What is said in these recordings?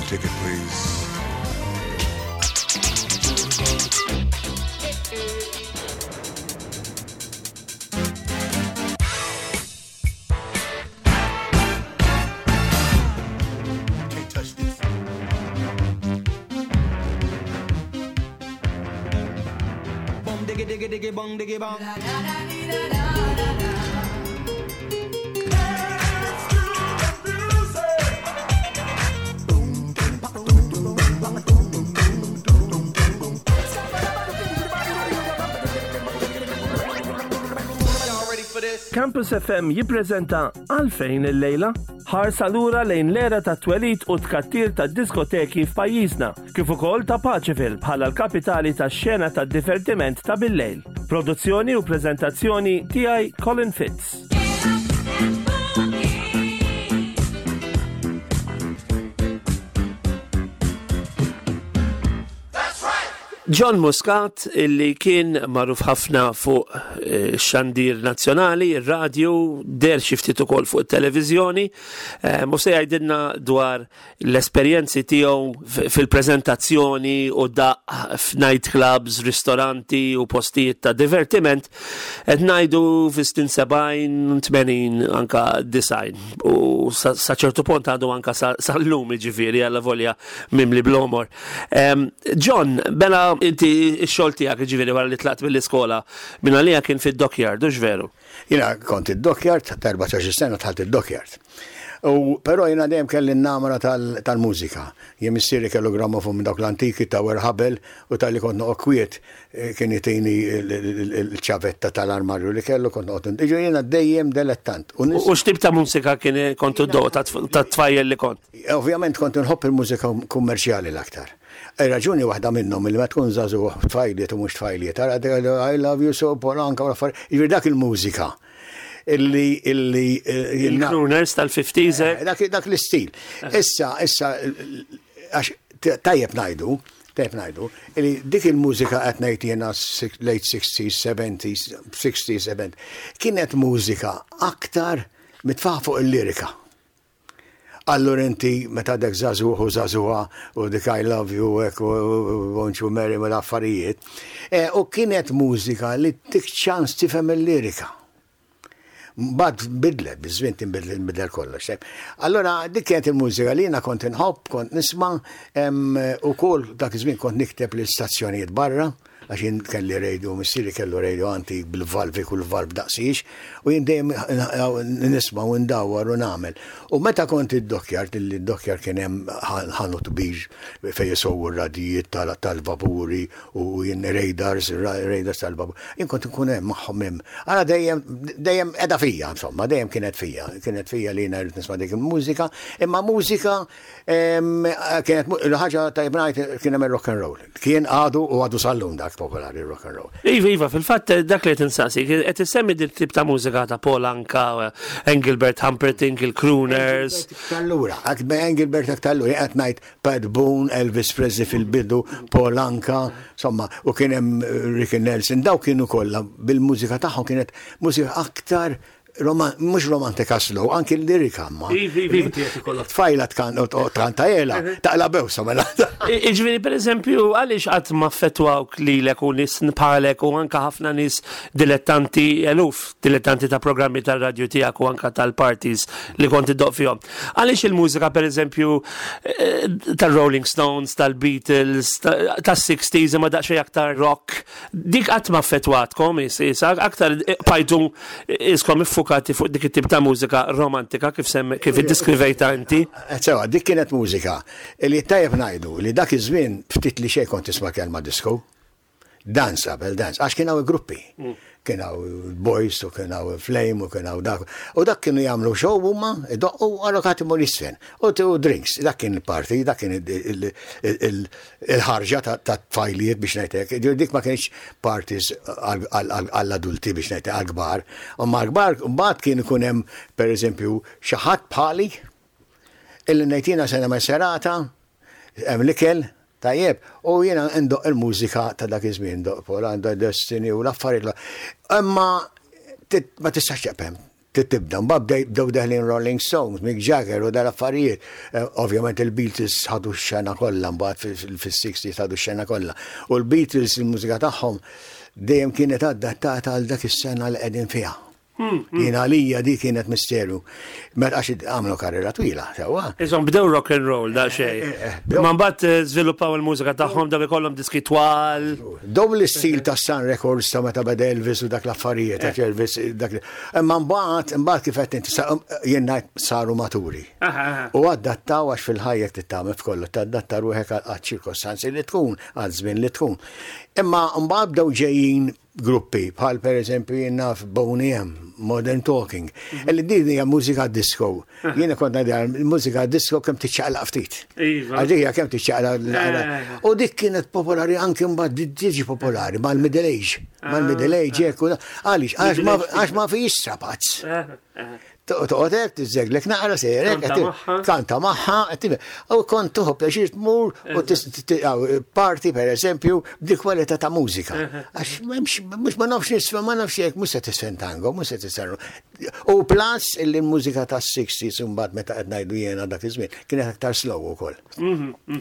ticket, please. Can't touch this. Bum diggy diggy diggy bong diggy bong. Y'all ready for this? Campus FM jippreżenta Għalfejn illejla? Ħarsa lura lejn l-era ta' twelid u tkattir ta' diskoteki f'pajjiżna, kif ukoll ta' Paceville bħala l-kapitali tax-xena tad-divertiment ta' billejl. Produzzjoni u preżentazzjoni tiegħi Colin Fitz. John Muscat illi kien magħruf ħafna fuq eh, xandir nazzjonali, ir-radju, der xi ftit ukoll fuq it-televiżjoni, eh, u se jgħidilna dwar l-esperjenzi tiegħu fil-preżentazzjoni u daq f'night clubs, ristoranti u postijiet ta' divertiment, qed ngħidu fis-snin 70, 80 anka design. U sa ċertu pont għadu anka sal-lum ġifieri għalla volja mimli blomor. John, bela inti x-xogħol tiegħek ġifieri wara li tlaqt mill-iskola minn għalija kien fid-dockyard, hux veru? Jiena kont id-dockyard, ta' 14 sena dħalt id-dockyard. U però jiena dejjem kelli n-namra tal-mużika. Jien missieri kellu grammofon minn dawk l-antiki ta' Werħabel u talli kont noqgħod kwiet eh, kien jtini l-ċavetta tal-armarju li kellu kont noqgħod. Jiġifieri jiena dejjem delettant. U x'tip ta' mużika kien kont iddoq ta' tfajjel li kont? Ovvjament kont inħobb il-mużika kummerċjali l-aktar. Ir-raġuni waħda minnhom li meta tkun żagħżugħ tfajliet u mhux tfajliet, tara I love you so Paul Anka u l-affarijiet, jiġifieri dak il-mużika illi illi eh, Il-crooners tal-50s. Eh? Dak, dak l-istil. Eh. Issa, issa, għax tajjeb ngħidu, tajjeb ngħidu, illi dik il-mużika qed ngħid jiena late 60s, 70s, 60s, 70s, kienet mużika aktar mitfaħ fuq il-lirika. Allura inti meta għadek żagħżugħ u żagħżugħa u dik I love you hekk u won't you marry me l-affarijiet. E, u kienet mużika li tik ċans tifhem il-lirika. Mbagħad bidlet, biż-żmien tinbidel inbidel kollox. Allura dik kienet il-mużika li jiena kont inħobb, kont nisma' ukoll dak iż-żmien kont nikteb l-istazzjonijiet barra. Għax jien kelli radio, missieri kellu radio antik bil-valvi kull valv daqsiex, u jien dejjem nisma' u ndawwar u nagħmel. U meta kont id-dockyard, illi d-dockyard kien hemm ħanut kbir fejn isewwu r-radijiet tal-vapuri u jien radars, radars tal-vapuri, jien kont inkun hemm magħhom hemm. Ara dejjem, dejjem qiegħda fija, insomma, dejjem kienet fija, kienet fija li jiena rrid nisma' dik il-mużika, imma mużika kienet l-ħaġa tajjeb ngħid kien hemm ir-rock and roll. Kien għadu u għadu sal-lum dak popolari rock and roll. Iva, iva, fil-fatt dak li qed insaqsi, qed issemmi din tip ta' mużika ta' Paul Anka, Engelbert Humperdinck, il-Crooners. Allura, Engelbert aktar allura, qed ngħid Pat Boone, Elvis Presley fil-bidu, Paul Anka, insomma, u kien hemm Ricky Nelson, daw kienu kollha bil-mużika tagħhom kienet mużika aktar mhux romantika slow, anki l-lirika ma. Tfajla tkanta jela, taqla bewsa mela. Iġviri, per eżempju, għaliex qatt ma affettwawk lilek u nies bħalek u anka ħafna nies dilettanti eluf, dilettanti ta' programmi tal-radju tiegħek u anka tal-parties li kont iddoq fihom. Għaliex il-mużika, per eżempju, eh, tal-Rolling Stones, tal-Beatles, tas-60s, imma daqsxejn aktar rock, dik qatt ma affettwatkom, isa, aktar bqajtu iskom iffukati fuq dik it-tip ta' mużika romantika kif sem kif iddiskrivejtha inti. Eh, sewa, dik kienet mużika li tajjeb ngħidu li dak iż-żmien ftit li xejn kont tisma' kelma disco. Dance qabel dance, għax kien hawn gruppi. Mm. Kien hawn Boys u kien hawn Flame u kien hawn dak. U dak kienu jagħmlu show huma, idoqqu għallu imur jisfen. U drinks, dak kien il-party, dak kien il-ħarġa ta' tfajliet biex ngħid hekk. Dik ma kienx parties għall-adulti biex ngħid għall-kbar. Imma għall-kbar mbagħad kien ikun hemm pereżempju xi ħadd bħali illi ngħid jiena se nagħmel serata, hemm l-ikel, tajjeb, u jiena ndoqq il-mużika ta' dak iż-żmien, ndoqq Polanda, Destiny u l-affarijiet. Imma ma tistax teqpem. Trid tibda, mbagħad bdew deħlin Rolling Stones, Mick Jagger u dal-affarijiet. Ovvjament il-Beatles ħadu x-xena kollha mbagħad fis-60s ħadu x-xena kollha. U l-Beatles il-mużika tagħhom dejjem kienet adattata għal dak is-sena li qegħdin fiha. Jien għalija dik kienet misteru. Meta għax għamlu karriera twila, sewwa. Iżhom bdew rock and roll da xejn. Eh, eh, eh, Ma mbagħad żviluppaw il-mużika tagħhom daw ikollhom diski twal. Daw l-istil ta' Sun Records ta' meta beda Elvis u dak l-affarijiet ta' Elvis dak. Imma mbagħad imbagħad kif qed inti jien ngħid saru maturi. U adattaw għax fil-ħajja titgħamel f'kollu tadatta ruħek għal ċirkostanzi li tkun, għal żmien li tkun. Imma mbagħad bdew ġejjin gruppi, bħal per eżempju jien naf Boney M, Modern Talking, illi din hija mużika disco. Jiena kont ngħidha mużika disco kemm tiċċaqlaq ftit. Iva. Għax hija kemm tiċċaqlaq. U dik kienet popolari anke mbagħad tiġi popolari mal-middle age. Mal-middle age hekk u għaliex għax ma fix strapazz. Toqgħod hekk tiżżeglek naqra sejrek, kanta magħha, u kont tuħu pjaċir tmur u party per eżempju b'dik kwalità ta' mużika. Għax mhux ma nafx nisfa, ma nafx hekk mhux se tisfen tango, mhux se tisfen. U plus illi l-mużika tas-60s imbagħad meta qed ngħidu jiena dak iż-żmien kienet aktar slow ukoll.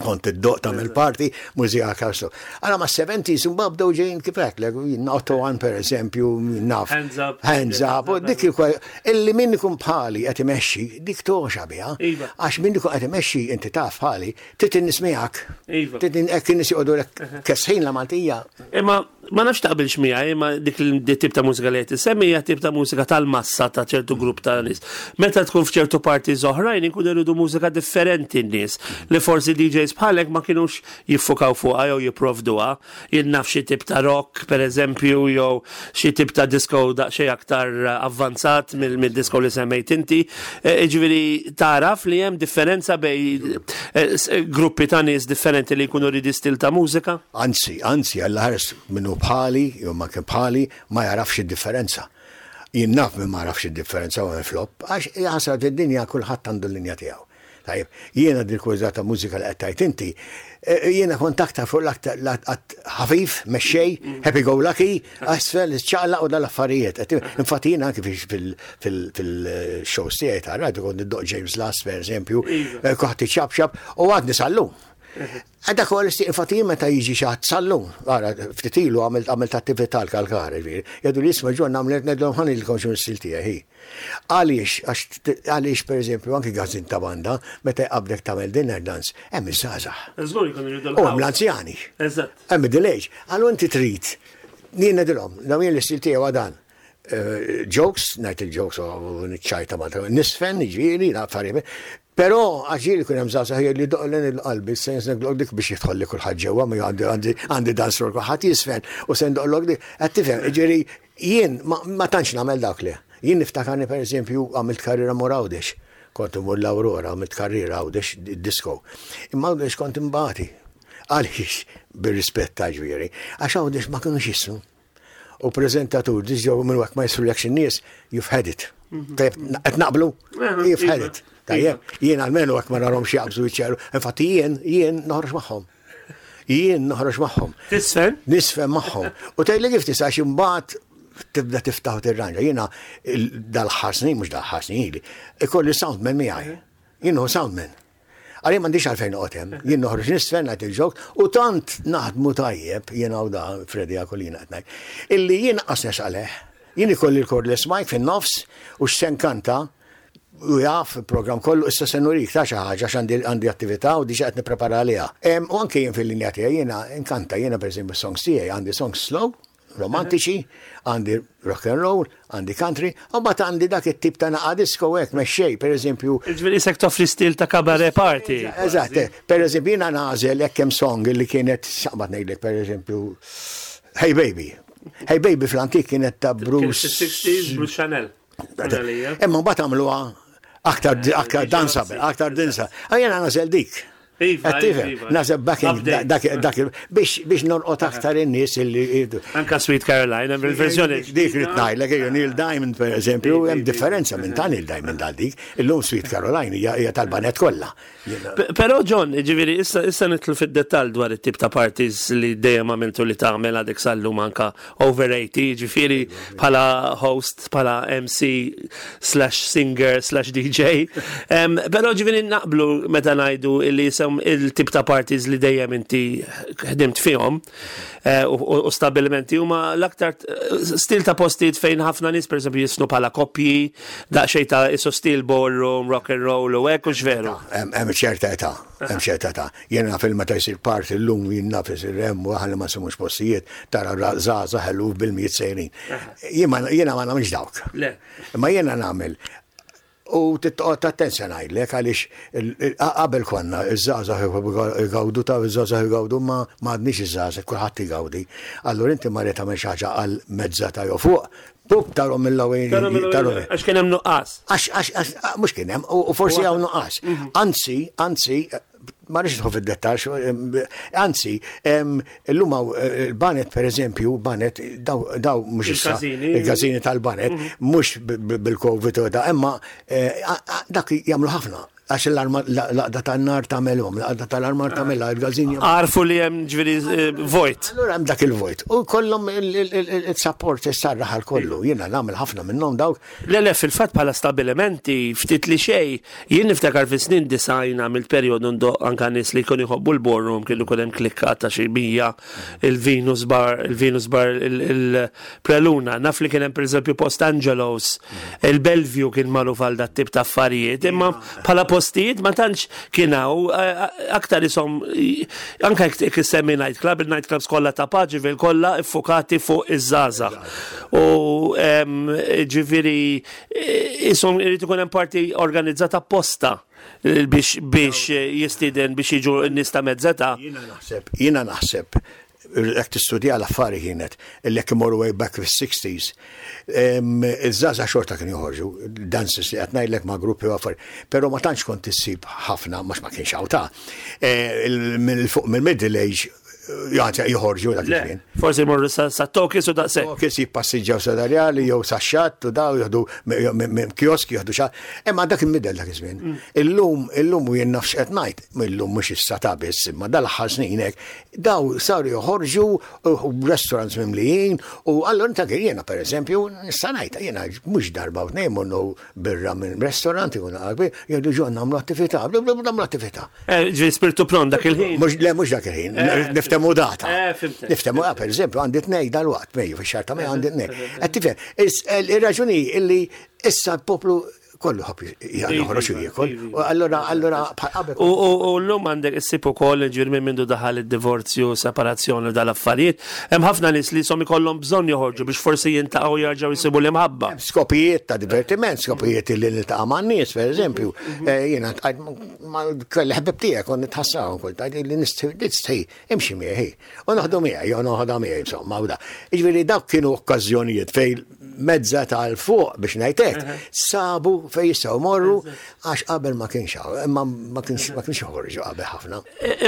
Kont iddoqq tagħmel party, mużika aktar slow. Allura ma' 70s imbagħad bdew ġejjin kif għedtlek, Otto One per eżempju, naf. Hands up. Hands up, u dik illi min ikun bħali qed imexxi, dik toxa biha. Iva. Għax min ikun qed imexxi inti taf bħali, trid in-nies miegħek. Iva. Trid hekk in-nies joqogħdu kesħin la Maltija. Imma ma nafx taqbilx miegħi, imma dik il-tip ta' mużika li qed insemmi hija tip ta' mużika tal-massa ta' ċertu grupp ta' nies. Meta tkun f'ċertu parties oħrajn inkunu jridu mużika differenti n-nies li forsi DJs bħalek ma kinux jiffukaw fuqha jew jipprovduha. Jien naf xi tip ta' rock, per eżempju, jew xi tip ta' disco daqsxejn aktar avvanzat mill-disco li semmejt inti. Jiġifieri taraf li hemm differenza bejn gruppi ta' nies differenti li jkunu ridi stil ta' mużika? Anzi, anzi, Alla ħares min hu bħali, jew ma kien bħali, ma jagħrafx id-differenza. Jien naf min ma jagħrafx id-differenza u hemm flop, għax ħasra fid-dinja kulħadd għandu l-linja tiegħu. Tajjeb, jiena dil-kwalità ta' mużika li qed tgħid inti, jiena kont aktar fuq l-aktar ħafif, mexxej, happy go lucky, asfel, ċaqlaq u dal-affarijiet. Infatti jiena anki fil-shows tiegħi ta' radio kont niddoq James Last per eżempju, kont ċapċap u għadni sal-lum. Dak huwa l-istil, infatti jien meta jiġi xi ħadd sal-lum, ara ftit ilu għamilt attività l-kalkar, ġifieri, jgħidu li isma' ġon nagħmel ngħidilhom ħa ngħidilkom x'inhu l-istil tiegħi. Għaliex, għaliex per eżempju anki gazin ta' banda, meta jqabdek tagħmel dinner dance, hemm iż-żgħażagħ. Żgur jkunu jridu U hemm l-anzjani. Eżatt. Hemm middle age. Allura inti trid, jien ngħidilhom, dawn jien l-istil tiegħi huwa dan. Jokes, ngħid il-jokes u niċċajta ma' nisfen, ġifieri, affarijiet. Però għax ġieli jkun hemm żgħażagħ li doqlen il-qalbi, sens ndoqlok dik biex jidħol li kulħadd ġewwa, ma għandi dance floor kulħadd jisfen u se ndoqlok dik. Qed tifhem, jiġifieri jien ma tantx nagħmel dak le. Jien niftakarni per eżempju għamilt karriera mur Għawdex. Kont imur l-Aurora, għamilt karriera Għawdex disco. Imma Għawdex kont imbati. Għaliex, bir-rispett ta' ġifieri, għax Għawdex ma kinux jismu. U preżentatur, diġ minn waqt ma jisrulekx in-nies, you've had it. Tajjeb, qed naqblu? You've had it. Tajjeb, jien almenu hekk ma narhomx jaqbżu jiċċeru. Infatti jien, jien noħroġ magħhom. Jien noħroġ magħhom. Tisfen? Nisfen magħhom. U tgħidli kif tista' imbagħad tibda tiftaħ u tirranġa. Jiena dal-ħarsni, mhux dal-ħarsni, ikolli soundman miegħi. Jien hu soundman. Għalli m'għandix għalfejn noqgħod hemm. Jien noħroġ nisfen ngħid il-ġok u tant naħdmu tajjeb jien hawn da Freddy Akolina qed ngħid. Illi jien qas nesqaleh. Jien ikolli l-cordless mic fin-nofs u x'se nkanta u jaf il-programm kollu issa se nurik ta' xi ħaġa għax għandi attività u diġà qed nipprepara għaliha. U anke jien fil-linja tiegħi jiena nkanta jiena pereżempju songs tiegħi għandi songs slow, romantiċi, għandi rock and roll, għandi country, u mbagħad għandi dak it-tip ta' naqa disco hekk mexxej, pereżempju. Ġifieri isek toffri stil ta' cabaret party. Eżatt, pereżempju jiena nagħżel hekk hemm song li kienet xaqbad ngħidlek pereżempju Hey Baby. Hey Baby fl-antik kienet ta' Bruce. 60s Bruce Chanel. Imma mbagħad għamluha aktar aktar danceable, aktar danceable. Jiena nagħżel dik. Iva, Qed tifhem? iva. Naħseb backing Update. dak dak biex biex norqod aktar in-nies illi jridu. Anka Sweet Caroline, hemm il-verżjoni. Dik li tnajlek, ejju Neil Diamond per eżempju, Iva, hemm iva, differenza minn ta' Neil Diamond għal dik. Illum Sweet Caroline hija hija tal-banet kollha. Jiena- Però John, ġifieri, issa issa nidħlu fid-dettall dwar it-tip ta' parties li dejjem għamiltu li tagħmel għadek sal-lum anka over 80, ġifieri bħala host, bħala MC slash singer slash DJ. Em, Però ġifieri naqblu meta ngħidu li jisem il-tip ta' parties li dejjem inti ħdimt fihom eh, u u stabilimenti huma l-aktar eh, stil ta' postijiet fejn ħafna nies pereżempju jisnu bħala koppji, daqsxejn ta' isu stil ballroom, rock and roll u hekk u x'veru. Hemm hemm ċerta età, hemm ċerta età. Jiena naf il-meta jsir party llum jien naf isir hemm u aħna ma nsemux postijiet tara żgħażagħ eluf bil-mijiet sejrin. Jien ma jiena ma nagħmilx dawk. Le. Imma jiena nagħmel U titqgħod attenzja ngħidlek għaliex qabel konna iż-żgħażagħ igawdu ta' iż-żgħażagħ igawdu ma m'għadniex iż-żgħażagħ kulħadd igawdi. Allura inti ma rid tagħmel xi ħaġa għal mezza ta' jew fuq, pup tarhom mill-ewwel tarhom. Għax kien hemm nuqqas. Għax għax għax mhux kien hemm u forsi hawn nuqqas. Anzi, anzi, ma rridx nidħol fid-dettall, anzi, illum hawn il-banet pereżempju, banet daw daw mhux issa Il-każini. il-każini tal-banet, mhux bil-Covid u da, imma eh, dak jagħmlu ħafna għax l-arma l-għaqda tan-nar tagħmelhom, l-għaqda tal-armar tagħmelha, il-każin jagħmlu. Għarfu li hemm ġifieri eh, vojt. Allura hemm dak il-vojt. U kollhom il-support issarraħ għal kollu. Jiena nagħmel ħafna minnhom dawk. Le, le, fil-fatt bħala stabilimenti, ftit li xej, jien niftakar fi snin design għamilt perjodu ndoq anka nies li jkunu jħobbu l-ballroom, kienu jkun hemm klikka ta' xi 100, il-Venus Bar, il-Venus Bar, il-Preluna, naf li kien hemm pereżempju Post Angelos, il-Bellevue kien magħruf għal dat tip ta' affarijiet, imma bħala postijiet ma tantx kien hawn eh, aktar isom anke jekk issemmi nightclub, il-nightclubs kollha ta' Paġivil kollha iffukati fuq iż-żgħażagħ. U em, ġifieri eh, isom irid ikun hemm parti organizzata apposta eh, biex biex jistieden biex jiġu n-nies ta' mezzeta. Jiena naħseb, jiena naħseb, jekk tistudja l-affari kienet, illi jekk imorru way back fis-60s, iż-żgħażagħ xorta kienu joħorġu, dances li qed ngħidlek ma' gruppi u affari, però ma tantx kont issib ħafna, mhux ma kienx hawn ta' Eh, il- mill fuq mill-middle age eh, joħorġu dak iż-żmien. Forsi jmorru sa sa Tokis u daqshekk. Kif jippassiġġaw sadarjali jew sa xatt u daw jieħdu minn kiosk jieħdu xa. Imma dak il-midel dak iż-żmien. Illum illum u jien nafx qed ngħid, illum mhux issa ta' biss, imma dal-aħħar snin hekk, daw saru joħorġu u restaurants mimlijin u allura inta kien jiena pereżempju nista' ngħid jiena mhux darba u tnejn mornu birra minn restaurant ikun kbir, jgħidu ġo nagħmlu attività, nagħmlu attività. Eh, Ġifieri spiritu pront dak il-ħin. Mhux le mhux dak il-ħin, niftehmu data. Eh, fhimtek. Niftehmu, ah, per eżempju, għandi tnej dal-waqt, mejju fix-xahar ta' Mejju għandi tnej. Qed tifhem, ir-raġuni illi issa l-poplu kollu ħobb joħroġ u jiekol. U allura allura bħal qabel. U, u, u l-lum għandek issib ukoll ġifieri minn mindu daħal id-divorzju, separazzjoni u dal-affarijiet. Hemm ħafna nies li som ikollhom bżonn joħorġu biex forsi jintaqgħu jerġgħu jsibu l-imħabba. Skopijiet ta' divertiment, skopijiet li niltaqa' man nies, per eżempju. Eh, Jiena tqajt ma kelli ħbib tiegħek kont nitħassaw kont tgħid li nistħi imxi miegħi. U naħdu miegħi, jew noħodha miegħi insomma u da. Jiġifieri dawk kienu okkażjonijiet fejn mezza tal fuq biex ngħidlek, sabu fejn jistgħu morru għax qabel ma kienx hawn, imma ma kienx ma kienx joħorġu qabel ħafna.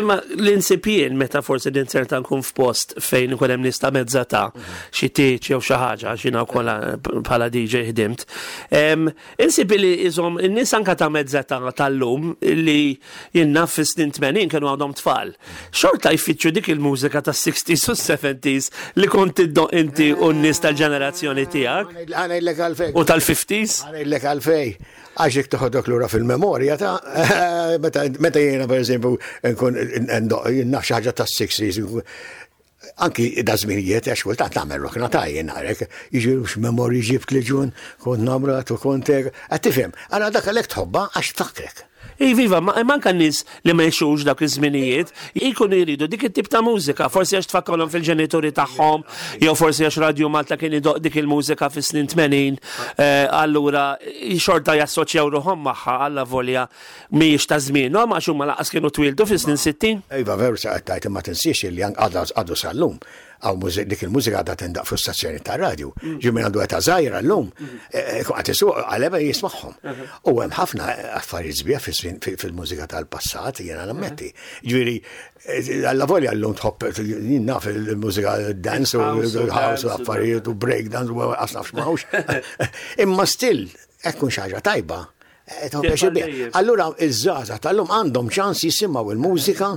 Imma l-insib jien meta forsi ninserta nkun f'post fejn ikun hemm nies ta' mezza ta' xi tieġ jew xi ħaġa għax jiena wkoll bħala DJ ħdimt. Insib li iżhom in-nies anka ta' mezza ta' tal-lum li jien naf fis-snin 80 kienu għadhom tfal. Xorta jfittxu dik il-mużika tas-60s u 70s li kont iddoq inti u n-nies tal-ġenerazzjoni tiegħek Ħa ngħidlek għalfejn. u tal-50s. Ħa ngħidlek għalfejn. Għax jekk toħodok lura fil-memorja ta' meta meta jiena per eżempju nkun ndoq jien naf xi ħaġa tas-60s anki da żminijiet għax kultant nagħmel rokna ta' jien għarek, jiġi x'memorji ġibt li ġun, kont namrat u kont hekk. Qed tifhem, allura dak għalhekk tħobbha għax tfakkrek. Iva, ma manka n-nies li ma jxux dak iż-żminijiet, jkunu jridu dik it-tip ta' mużika, forsi għax tfakkarhom fil-ġenituri tagħhom, jew forsi għax Radio Malta kien idoq dik il-mużika fis-snin 80, eh, allura xorta jassoċjaw ruħhom magħha alla volja mhijiex ta' żmienhom għax huma laqas kienu twildu fis-snin 60. Iva, veru sa qed tgħid imma tinsiex li għadu sal-lum. Hawn dik il-mużika għadha tindaq fuq stazzjoni tar-radju. Ġi minn għandu età żgħira llum, ikun qed isuq għaleba jismagħhom. U hemm ħafna affarijiet sbieħ fil-mużika tal-passat, jiena nammetti. Ġifieri, alla volja llum tħobb jien naf il-mużika dance u house u affarijiet u break dance u qas naf x'mawx. Imma still, hekk kun xi ħaġa tajba. Allura iż-żgħażagħ tal-lum għandhom ċans jisimgħu il-mużika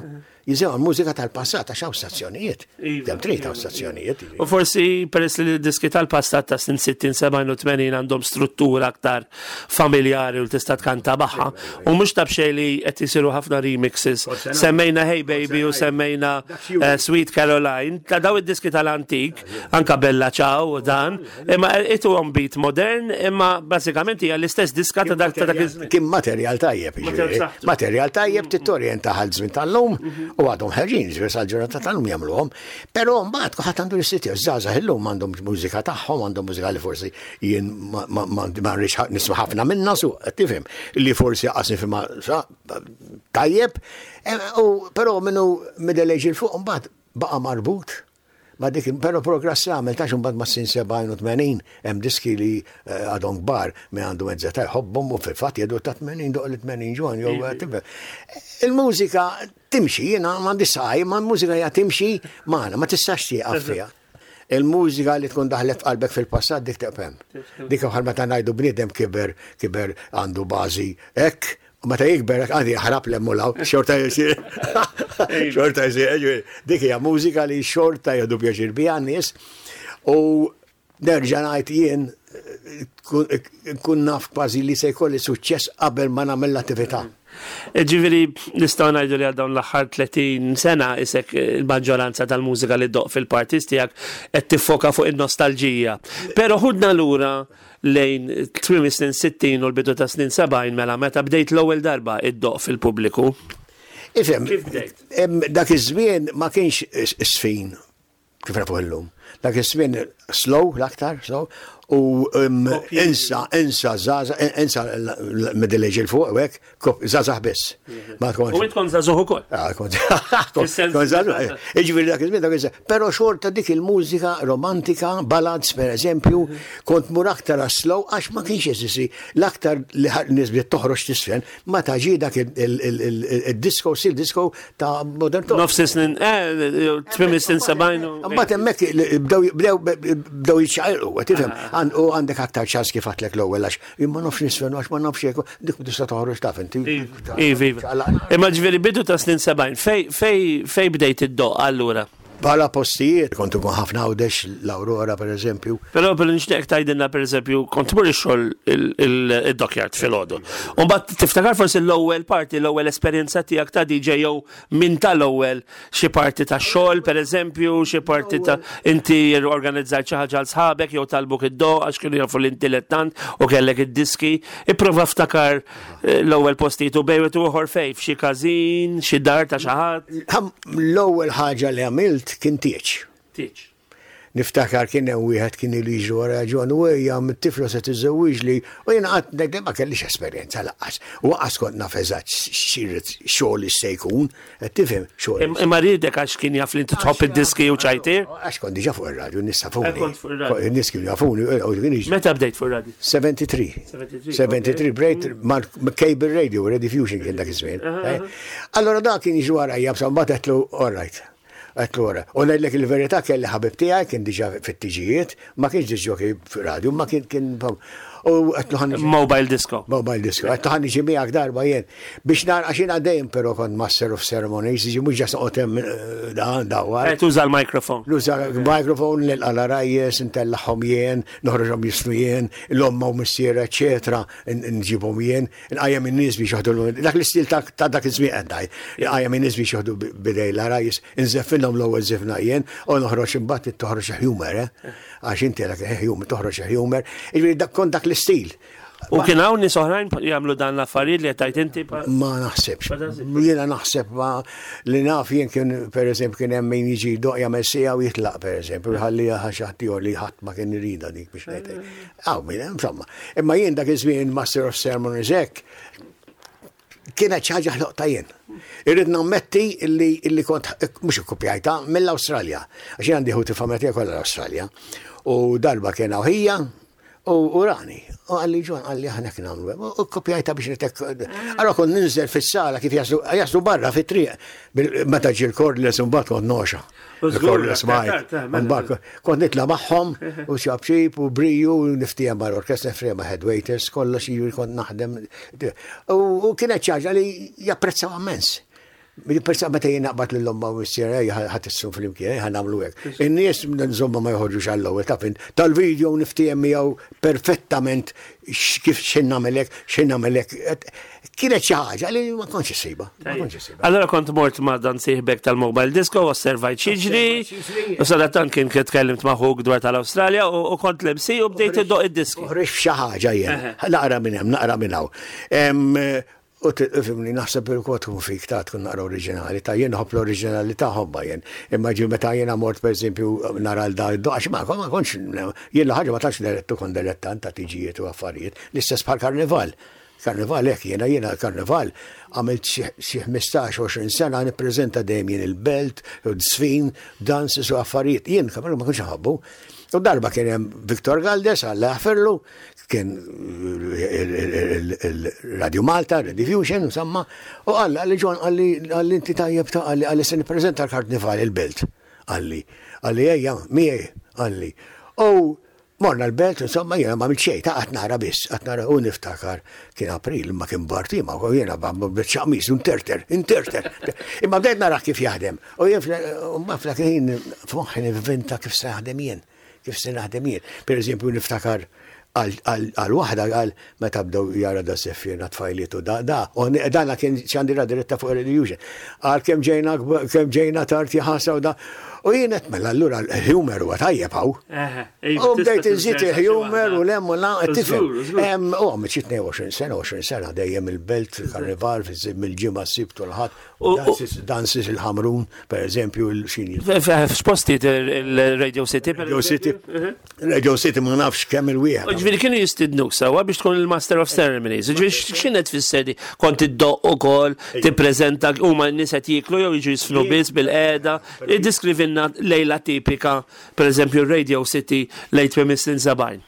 Jisimgħu l-mużika tal-passat għax hawn stazzjonijiet. Iva, Hemm trid hawn stazzjonijiet. U forsi peress li d-diski tal-passat ta' snin 60, 70 u 80 għandhom struttura aktar familjari u tista' tkanta magħha. U mhux ta' b'xejn li qed isiru ħafna remixes. Semmejna Hey Baby u semmejna eh, Sweet Caroline, ta' daw id-diski tal-antik, anka Bella Ciao u dan, Imma ituhom beat modern, imma bażikament hija l-istess diska ta' dak ta' dak iż-żmien. Kien materjal tajjeb, jiġifieri. Materjal tajjeb tittorjenta għal żmien tal-lum mhm. u għadhom ħerġin, jiġifieri sal-ġurnata tal-lum jagħmluhom. Però mbagħad kulħadd għandu l-istil tiegħu, żgħażagħ illum għandhom mużika tagħhom, għandhom mużika li forsi jien ma rridx nisma' ħafna minnha su, qed tifhem, li forsi qas nifhimha tajjeb, eh, u però minnu middle age il fuq mbagħad baqa' marbut Ma dik, però progress għamel tax imbagħad mas-sin 70 u 80 hemm diski li eh, għadhom kbar minn għandu mezza ta' jħobbhom u fil-fatt jgħidu ta' 80 doq li 80 ġwan jew eh, tifhem. Il-mużika timxi, jiena m'għandi saqaj, ma l-mużika hija timxi magħna, ma tistax tieqaf fiha. Il-mużika li tkun daħlet f'qalbek fil-passat dik teqfem. Dik bħal meta ngħidu bniedem kiber, kiber għandu bażi hekk, U meta jikber għandi jaħrab l law, xorta jisir. Xorta jisir. Dik hija mużika li xorta jieħdu pjaċir biha n-nies. U nerġa' ngħid jien nkun naf kważi li se jkolli suċċess qabel ma nagħmel l-attività. Ġifieri nistgħu ngħidu li għal dawn l-aħħar 30 sena isek il-maġġoranza tal-mużika li ddoqq fil-parties tiegħek qed tiffoka fuq in-nostalġija. Però ħudna lura lejn tmiem is-snin 60 u l-bidu tas-snin 70 mela meta bdejt l-ewwel darba iddoqq fil-pubbliku. Ifhem, Kif bdejt? Dak iż-żmien ma kienx sfin kif nafuh illum. Dak iż-żmien slow l-aktar, slow, u insa, insa, zaza, insa middle age il-fuq, u hekk, Żgħażagħ biss. Ma tkunx. U int kont żagħżugħ ukoll. Ah, kont. Kont żagħżugħ. Jiġifieri dak iż-żmien dak iż Però xorta dik il-mużika romantika, ballads per eżempju, kont mur aktar slow għax ma kienx jeżisti l-aktar li nies bdiet toħroġ tisfen ma ta' ġie dak il-disco, sil disco ta' modern talk. Nofs snin, eh, tmiem is-snin 70. Mbagħad hemmhekk bdew bdew jiċċaqilqu, tifhem, u għandek aktar ċans kif għedtlek l-ewwel għax Jien ma nafx nisfen għax ma nafx hekk, dik tista' toħroġ taf inti. Iva, iva. Imma ġifieri bidu ta' snin 70, fej fej fej bdejt iddoqq allura? Bħala postijiet, kont ikun ħafna Għawdex, l-Aurora per eżempju. Però però nixtieqek tgħidilna per eżempju, kont tmur ix-xogħol id-dockyard filgħodu. U mbagħad tiftakar forsi l-ewwel parti, l-ewwel esperjenza tiegħek ta' DJ jew Min tal-ewwel xi parti ta' xogħol, pereżempju, xi parti ta' inti organizzajt xi ħaġa għal sħabek jew talbuk id-doq għax kienu jafu li inti lettant u kellek id-diski. Ipprova ftakar eh, l-ewwel postijiet u bejwet u ieħor fejn, f'xi każin, xi dar ta' xi ħadd. L-ewwel ħaġa li għamilt kien tieġ. Tieġ. Niftakar kien hemm wieħed kien ilu jiġri wara John u ejja mit-tifla se tiżżewwiġli u jiena qatt ngħid ma kellix esperjenza lanqas. U lanqas kont naf eżatt x'irid xogħol se jkun, qed tifhem xogħol. Imma riedek għax kien jaf li inti tħobb id-diski u ċajtier? Għax kont diġà fuq ir-radju, n-nies jafuni. Kont fuq ir-radju. In-nies kienu jafuni u kien jiġri. Meta bdejt fuq ir-radju? 73. 73 bdejt mal-cable radio, Rediffusion kien dak iż-żmien. Allora dak kien jiġri warajja, mbagħad għedtlu all right. Għedtlu ora. U ngħidlek il-verità kelli ħabib tiegħi kien diġà fit-tiġijiet, ma kienx disc jockey f'radju, ma kien kien u għedtlu ħa niġi. Mobile disco. Mobile disco. Għedtlu ħa niġi miegħek darba jien. Biex nara għax jiena dejjem però kont master of ceremonies, jiġi mhux ġast noqgħod hemm eh, dan dawwar. Eh, tuża l-microphone. Nuża l-microphone nilqa' l-għarajjes, intellagħhom jien, noħroġhom jisnu jien, l-omma u missiera, eċetera, nġibhom jien. Nqajjem in-nies biex joħdu dak l-istil ta' dak iż-żmien qed ngħid. Nqajjem in-nies biex joħdu bidej l-għarajjes, inżeffinhom l-ewwel żifna jien u noħroġ imbagħad toħroġ humor, eh? Għax inti dak humor, toħroġ humor. Jiġifieri dak kont dak l-istil. U kien hawn nies oħrajn jagħmlu dan l-affarijiet li qed tgħid inti? Ma naħsebx. Jiena naħseb ma li naf jien kien pereżempju kien hemm min jiġi jdoqq jagħmel siegħa u jitlaq pereżempju, jħalliha xi ħadd ieħor li ħadd ma kien iridha dik biex ngħid. Għaw, minn, insomma. Imma jien dak iż-żmien Master of Ceremonies hekk, Kienet xi ħaġa ħloqta jien. Irrid nammetti illi illi kont mhux ikkupjajta mill-Awstralja. Għax jien għandi ħuti familja tiegħi kollha l-Awstralja. U darba kien hawn ħija u rani. U qalli John qalli aħna kien nagħmlu. U kkupjajta biex nitek. Allora kont ninżel fis-sala kif jaslu jaslu barra fit-triq. Meta ġie l-cordless imbagħad kont noxa. Il-cordless mic. Imbagħad kont nitla' magħhom u xabxib u briju u niftiehem mal-orkestra, niftiehem ma' head waiters, kollox jiġifieri kont naħdem. U kienet xi ħaġa li japprezzaw immens. Jipprezzaw meta jien naqbad lil omma u missier ejja ħa tissu flimkien, ejja nagħmlu hekk. In-nies insomma ma joħorġux għall-ewwel taf int. Tal-video niftiehem miegħu perfettament kif x'ħin nagħmel hekk, x'ħin nagħmel hekk. Kienet xi ħaġa li ma kontx issibha. Ma kontx issibha. Allora kont mort ma' dan sieħbek tal-mobile disco, osservajt x'jiġri, u sadattant kien tkellimt ma' ħuk dwar tal-Awstralja u kont l-MC u bdejt iddoq id-diski. Uħriġt f'xi ħaġa jien. Naqra minn hemm, naqra minn hawn. U tifhimni, naħseb il-kod tkun fik ta' tkun naqra oriġinali, ta' jien nħobb l-oriġinalità ħobba jien. Imma ġi meta jiena mort pereżempju nara l da għax ma ma kontx jien l-ħaġa ma tantx direttu kont dilettant ta' tiġijiet u affarijiet, l-istess bħal karnival. Karnival hekk jiena jiena karnival għamilt xi 15-20 sena nippreżenta dejjem jien il-belt, żfin, dances u affarijiet. Jien karnival ma kontx inħobbu. U darba kien hemm Victor Galdes, Alla jaħfirlu, kien il-Radio Malta, Rediffusion, insomma, u qal qalli John qalli qalli inti tajjeb ta' qalli qalli se nippreżenta l-Karnival il-Belt, qalli. Qalli ejja, miegħi, qalli. U morna l-Belt, insomma, jiena ma għamilt xejn, ta' qatt nara biss, qatt nara u niftakar kien April, imma kien bard imma u jiena b'biċċa qmis, interter, interter. Imma bdejt narah kif jaħdem. U jien f'dak il-ħin f'moħħi nivvinta kif se naħdem jien. Kif se naħdem jien. Per eżempju, niftakar għal waħda għal meta bdew jara da seffiena tfajliet u da da, u dana kien xandira diretta fuq il-Illusion. Għal kemm ġejna kemm ġejna tard jaħasra u da. U jien qed mela allura l-humor huwa tajjeb hawn. U bdejt inżid il-humor u lem u la, tifhem. U għamilt xi 22 sena, 20 sena dejjem il-belt, il-karnival, mill-ġimgħa s-sibt u l-ħadd. Dances il-Ħamrun, per eżempju, il-xini. F'postijiet il-Radio City. Radio City. Radio City ma nafx kemm il-wieħed. Ġifieri kienu jistidnuk sewwa biex tkun il-Master of Ceremonies. Ġifieri x'kienet tfisser di? Kont iddoqq ukoll, tippreżenta huma n-nies qed jieklu jew jiġu jisfnu biss bil-qiegħda. Iddeskrivilna lejla tipika, per eżempju, Radio City lejn tmiem is-snin 70.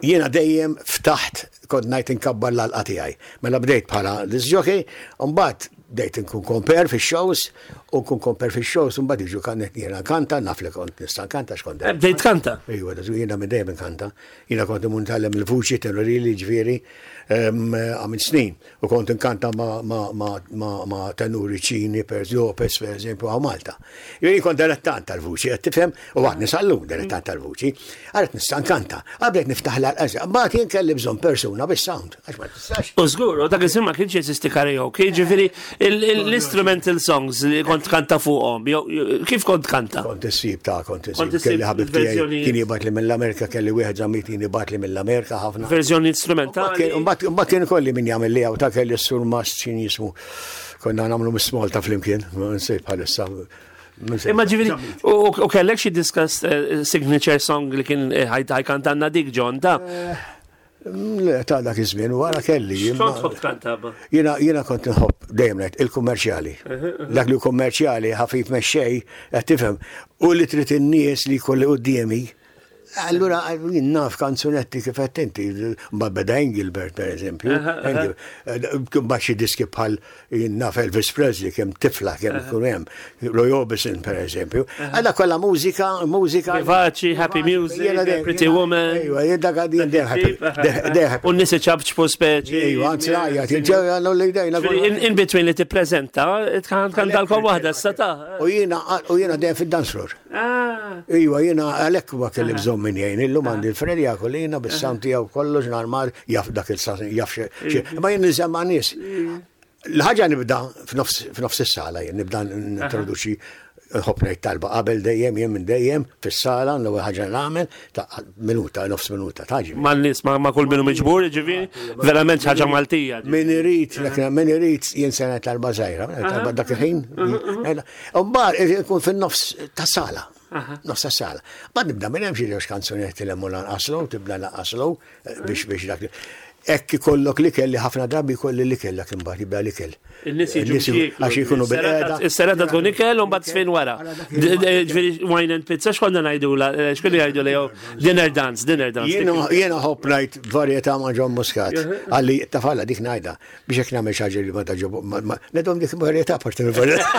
Jiena dejjem ftaħt kont ngħid inkabbar l-għalqa tiegħi. Mela bdejt bħala disc jockey, u mbagħad bdejt inkun compere fix-shows, u nkun compere fix-shows, u mbagħad jiġu kan jiena nkanta, naf li kont nista' nkanta x'kont dejjem. Bdejt tkanta? Ejwa, jiena minn dejjem inkanta. Jiena kont imur nitgħallem il-vuċi tenorili, ġifieri, għamilt snin. U kont inkanta ma' tenuri Ċini, per Lopez, per eżempju, għaw Malta. Jien kont dilettant tal-vuċi, qed tifhem, u għadni sal-lum dilettant tal-vuċi. Għaret nista' nkanta, qablet niftaħ l-għalqa, mbagħad jien kelli bżonn persuna bis-sound, għax ma tistax. U żgur, u dak iż-żmien ma kienx jeżisti karaoke, jiġifieri l-instrumental songs li kont kanta fuqhom, kif kont kanta? Kont issib ta' kont issib. Kelli ħabib tiegħi kien jibgħat li mill-Amerika kelli wieħed żammit kien jibgħat li mill-Amerika ħafna. Verżjoni instrumentali. Mbagħad kien kolli min jagħmel li ta' kelli s-sur Mast x'in jismu. Konna nagħmlu mis-Malta flimkien, ma nsejt bħalissa. Imma ġifieri, u kellek xi diska eh, signature song li kien eh, ħajkantanna dik John ta' eh, Le, ta' dak iż-żmien wara kelli. X'kont tħobb tkanta? Jiena jiena kont nħobb dejjem ngħid il-kummerċjali. Dak li kummerċjali ħafif mexxej, qed tifhem, u li trid in-nies li jkolli quddiemi Allura, jien naf kanzunetti kif qed inti, ma beda Engelbert per eżempju, mbagħad xi diski bħal jien naf Elvis Presley kemm tifla kemm ikun hemm, Roy Orbison per eżempju. Għalla kollha mużika, mużika. Vivaci, happy music, Pretty Woman. Ejwa, jien dak għaddi jien happy. U n-nies iċabċpu speċi. Ejwa, anzi għajja, ġew li dejna. In between li tippreżenta, tkantalkom waħda s-sata. U jiena dejjem fid-dance floor. Ah. Iwa, jiena għalhekk ma kelli bżonn min jgħin. Illum għandi l-Freddy Akolina bis-sound tiegħu kollox normal, jaf dak il-sasn, jaf xi. Ma jien niżem ma' nies. L-ħaġa nibda f'nofs is-sala jien nibda nintroduċi nħobb ngħid talba qabel dejjem jien minn dejjem fis-sala l-ewwel ħaġa nagħmel ta' minuta, nofs minuta taġi. Ma' nies ma' kull minnu miġbur, ġifieri, verament ħaġa Maltija. Min irid, min irid jien se ngħid talba żgħira, talba dak il-ħin. Mbagħad ikun fin-nofs ta' sala. Nofs ta' sala. Mbagħad nibda minn hemm xi żewġ kanzunetti li hemm lanqaslu, tibda lanqaslu eh, biex biex dak. Hekk ikollok l-ikel li ħafna drabi jkolli l-ikel dak imbagħad jibda l-ikel. In-nies jiġu biex jieklu. Għax jkunu bil-qeda. Is-serata tkun ikel u mbagħad sfin wara. Ġifieri wine and pizza x'konna ngħidula, eh, x'kienu jgħidu li jew dinner dance, dinner dance. Jiena ħobb ngħid varjetà ma' John Muscat. Għalli tafalla dik ngħidha biex hekk nagħmel xi ħaġa li ma taġob. Nedhom dik varjetà parti mill-varjetà.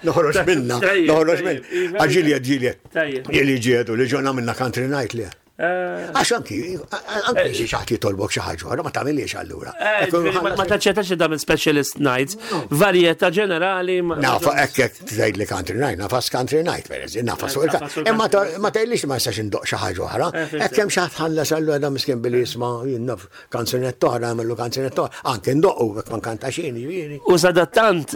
Noħroġ minna, noħroġ minna. Għax ġieli ġieli. Ġieli ġiedu li ġonna minna country night li. Eh. Għax anki, anki xi ħadd jitolbok xi ħaġa oħra ma tagħmilhiex allura. Eh, ma taċċettax li tagħmel specialist nights, varjetà ġenerali. Nafa hekk hekk tgħid li country night, nafas country night pereżempju, nafas fuq il Imma ma tgħidlix ma nistax indoq xi ħaġa oħra. Eh, hekk hemm xi ħadd ħallas allura da miskin billi jisma' naf kanzunetta oħra nagħmlu kanzunetta oħra, anke ndoqqu jekk ma nkantax jien jiġifieri. U sadattant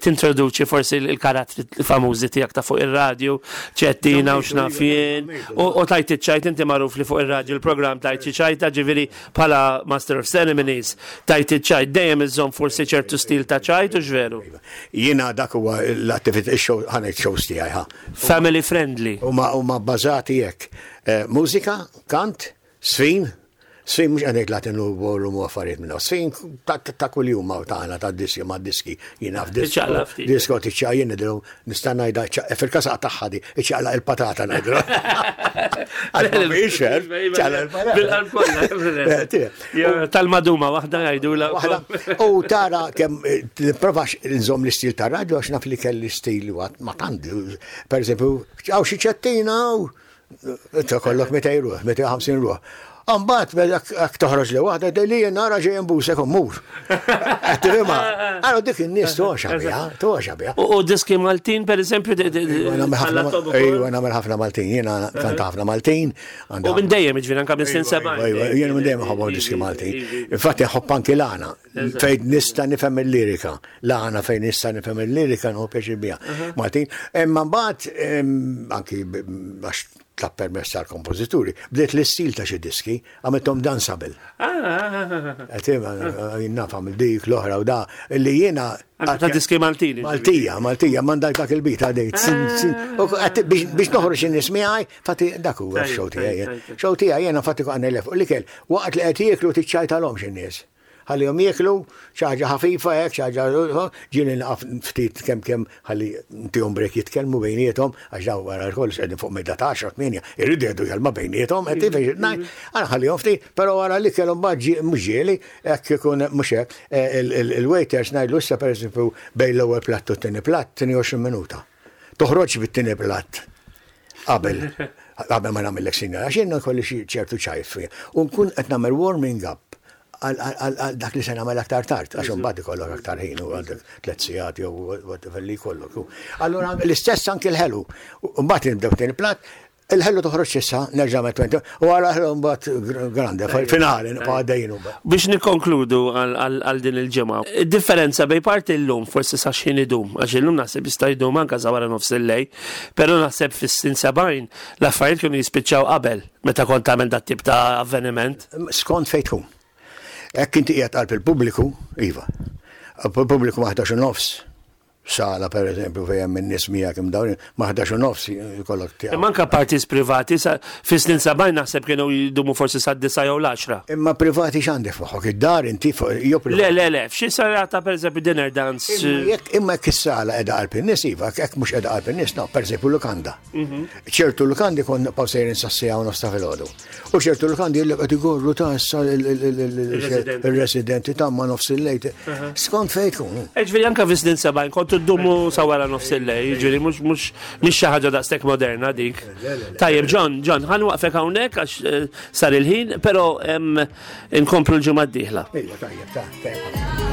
tintroduċi forsi l-karattri famużi tiegħek ta' fuq ir-radju, ċettina u x'naf jien, u tajt iċ-ċajt inti magħruf li fuq ir-radju l-programm tajt xi ċajta, ġifieri bħala Master of Ceremonies tajt iċ-ċajt dejjem iżżomm forsi ċertu stil ta' ċajt u x'veru? Jiena dak huwa l-attività ix-show ħa ngħid shows tiegħi ħa. Family friendly. Huma bbażati hekk. Eh, mużika, kant, Sfin, sfin mhux qed ngħid Latin u ballroom u affarijiet minn sfin ta' kuljum ma' tagħna ta' diski ma' diski jien naf disko. Disko tiċċaq jien nidru nista' ngħidha fil-każ tagħha di iċċaqlaq il-patata ngħidlu. Bil-qalb kollha. Tal-maduma waħda jgħidula. U tara kemm eh, nipprovax nżomm l-istil tar-radju għax naf li kelli stil ma tant. Per eżempju, hawn xi ċettina Inta kollok 200 ruħ, 250 ruħ. Ambat, jekk toħroġ li waħda, li jien nara ġej imbusek u mmur. Qed tifhimha? Allora dik in-nies toxa biha, toxa biha. U diski Maltin, per eżempju, Ejwa, nagħmel ħafna Maltin, jiena kanta ħafna Maltin. U minn dejjem, ġifieri anke minn snin 70. Ejwa, jiena minn dejjem ħobb diski Maltin. Infatti ħobb anki l-għana, fejn nista' nifhem il-lirika. L-għana fejn nista' nifhem il-lirika nħu pjaċir biha. Maltin. Imma mbagħad anki għax tlab permess tal-kompożituri, bdejt l-istil ta' xi diski, għamilthom danceable. Qed naf għamil dik l-oħra u da li jiena ta' diski Maltin. Maltija, Maltija, mandak dak il-bit għadejt. Biex noħroġ in-nies miegħi, fatti dak huwa x-show tiegħi. Show tiegħi jiena fatti għandna l L-ikel, waqt li qed jieklu tiċċajtalhomx in-nies. Ħallihom jieklu, xi ħaġa ħafifa hekk, xi ħaġa, ġieli naqaf ftit kemm kemm ħalli ntihom break jitkellmu bejniethom, għax dawn wara kollox qegħdin fuq mejda ta' għaxra, tmienja, iridu jgħidu kelma bejniethom, qed tifhem xi ngħid? Ara ħallihom ftit, però wara l-ikel imbagħad mhux ġieli, hekk ikun mhux hekk, il-waiters ngħidlu issa pereżempju bejn l-ewwel platt u t-tieni platt, 22 minuta. Toħroġx bit-tieni platt qabel qabel ma nagħmillek sinjal, għax jien nkolli xi ċertu ċajt fija. U nkun qed nagħmel warming up għal dak li se nagħmel aktar tard, għax imbagħad ikollok aktar ħin u għandek tliet sigħat jew whatever li jkollok. Allura l-istess anki l-ħelu. Mbagħad nibdew tieni platt, il-ħelu toħroġ issa, nerġa' met 20, u għara ħelu mbagħad grande, finali nibqa' għaddejjin mbagħad. Biex nikkonkludu għal din il-ġimgħa, id-differenza bejn parti llum forsi sa x'ħin idum, għax illum naħseb jista' jdum anke sa wara nofs il-lejl, però naħseb fis-snin 70 l-affarijiet kienu jispiċċaw qabel meta kont tagħmel dat-tip ta' avveniment. Skont fejn tkun. Hekk inti qiegħed qalb il-pubbliku, iva. Pubbliku ma' 11 u nofs, sala per eżempju fejn hemm in-nies miegħek imdawrin, ma' 11 u nofs jkollok tiegħu. Imma anke parties privati fis-snin 70 naħseb kienu jdumu forsi sad-disgħa jew l-għaxra. Imma privati x'għandek f'moħħok? Id-dar inti jew Le, le, le, f'xi serata per eżempju dinner dance. Imma jekk is-sala qiegħda qalb in-nies iva, jekk mhux qiegħda qalb in-nies, no, per eżempju lukanda. Ċertu lukandi kon nibqgħu sejrin sas-siegħa u nofs ta' filgħodu. U ċertu lukandi jillek qed igorru ta' issa il-residenti ta' ma' nofs il-lejl. Skont fejn tkun. Eh, ġifieri anke fi snin 70 kontu ddumu sa wara nofs il-lejl, ġifieri mhux mhux mhix xi ħaġa daqshekk moderna dik. Tajjeb, John, John, ħa nwaqfek hawnhekk għax eh, sar il-ħin, però inkomplu l-ġimgħa d-dieħla. Ejja, tajjeb, ta' tajjeb.